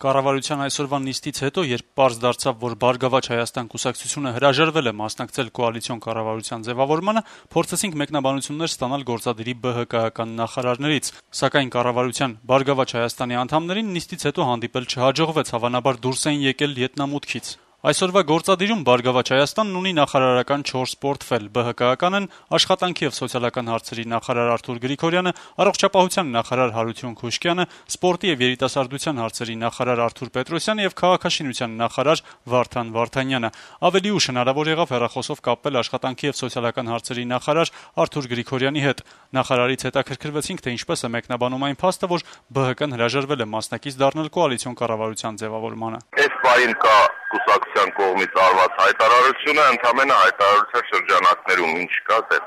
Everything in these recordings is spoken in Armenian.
Կառավարության այսօրվա նիստից հետո, երբ պարզ դարձավ, որ «Բարգավաճ Հայաստան» կուսակցությունը հրաժարվել է մասնակցել կոալիցիոն կառավարության ձևավորմանը, փորձեցինք մեկնաբանություններ ստանալ գործադիրի ԲՀԿ-ական նախարարներից, սակայն կառավարության «Բարգավաճ Հայաստանի» անդամներին նիստից հետո հանդիպել չհաջողվեց, հավանաբար դուրս էին եկել յետնամուտքից։ Այսօրվա գործադիրում «Բարգավաճ Հայաստանն» ունի նախարարական 4 պորտֆել. ԲՀԿ-ական են աշխատանքի եւ սոցիալական հարցերի նախարար Արթուր Գրիգորյանը, առողջապահության նախարար Հարություն Քուշկյանը, սպորտի եւ երիտասարդության հարցերի նախարար Արթուր Պետրոսյանը եւ քաղաքաշինության նախարար Վարդան Վարդանյանը։ Ավելի ուշ հնարավոր եղավ հեռախոսով կապվել աշխատանքի եւ սոցիալական հարցերի նախարար Արթուր Գրիգորյանի հետ։ Նախարարից հետաքրքրվեցինք, թե ինչպես է մեկնաբանում այն փաստը, որ ԲՀԿ-ն հրաժարվել է մասնակից դառնալ կոալիցիոն կառավարության ձևավորմանը։ Այս պահին կա կուսակցության կողմից արված հայտարարությունը, ընդամենը հայտարարության շրջանակներում ինչ կա դե։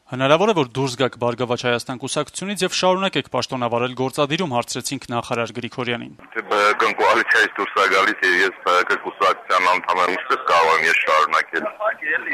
Հնարավոր է, որ դուրս գաք «Բարգավաճ Հայաստան» կուսակցությունից եւ շարունակեք պաշտոնավարել գործադիրում, հարցրեցինք նախարար Գրիգորյանին։ ԲՀԿ-ն կոալիցիայից դուրս է գալիս եւ ես ԲՀԿ կուսակցության անդամ եմ, ինչպես կարող եմ ես շարունակել։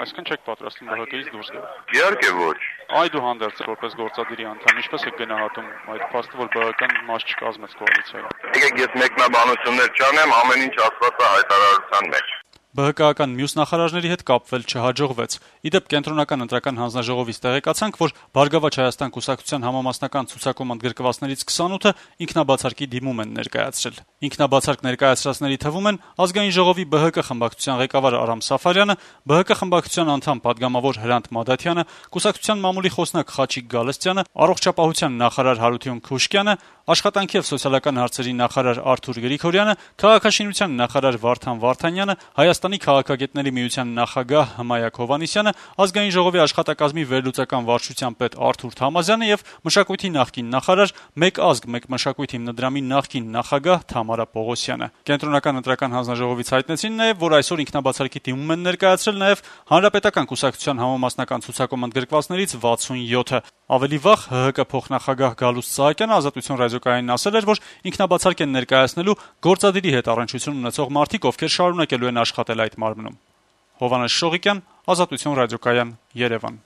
Այսինքն չեք պատրաստվում ԲՀԿ-ից դուրս գալ։ Իհարկե ոչ։ Այդուհանդերձ որպես գործադիրի անդամ, ինչպես եք գնահատում այդ փաստը, որ ԲՀԿ-ն մաս չկազմեց կոալիցիայում։ Եկեք ես մեկնաբանություններ չանեմ, ամեն ինչ ասված է հայտարարության մեջ։ ԲՀԿ-ական մյուս նախարարների հետ կապվել չհաջողվեց։ Իդեպ կենտրոնական ընտրական հանձնաժողովից տեղեկացանք, որ «Բարգավաճ Հայաստան» կուսակցության համամասնական ցուցակում ընդգրկվածներից 28-ը ինքնաբացարկի դիմում են ներկայացրել։ Ինքնաբացարկ ներկայացրածների թվում են Ազգային ժողովի ԲՀԿ խմբակցության ղեկավար Արամ Սաֆարյանը, ԲՀԿ խմբակցության անդամ падգամավոր Հրանտ Մադաթյանը, կուսակցության մամուլի խոսնակ Խաչիկ Գալստյանը, առողջապահության նախարար Հարություն Քուշկյանը, աշխատանքի եւ սոցիալական հարցերի նախարար Արթուր Գրիգորյանը, քաղաքաշինության նախարար Վարդան Վարդանյանը, Հայաստանի քաղաքագետների միության նախագահ Հմայակ Հովհաննիսյանը, Ազգային ժողովի աշխատակազմի վերլուծական վարչության պետ Արթուր Թամազյանը եւ մշակույթի նախկին նախարար «Մեկ ազգ, մեկ մշակույթ» հիմնադրամի նախկին նախագահ Թամարա Պողոսյանը։ Կենտրոնական ընտրական հանձնաժողովից հայտնեցին նաեւ, որ այսօր ինքնաբացարկի դիմում են ներկայացրել նաեւ Հանրապետական կուսակցության համամասնական ցուցակում ընդգրկվածներից 67-ը։ Ավելի վաղ ՀՀԿ փոխնախագահ Գալուստ Սահակյանը Ազատություն ռադիոկայանին ասել էր, որ ինքնաբացարկ են ներկայացնելու գործադիրի հետ առնչություն ունեցող մարդիկ, ովքեր շարունակելու են աշխատել այդ մարմնում։ Հովհաննես Շողիկյան, Ազատություն ռադիոկայան, Երևան։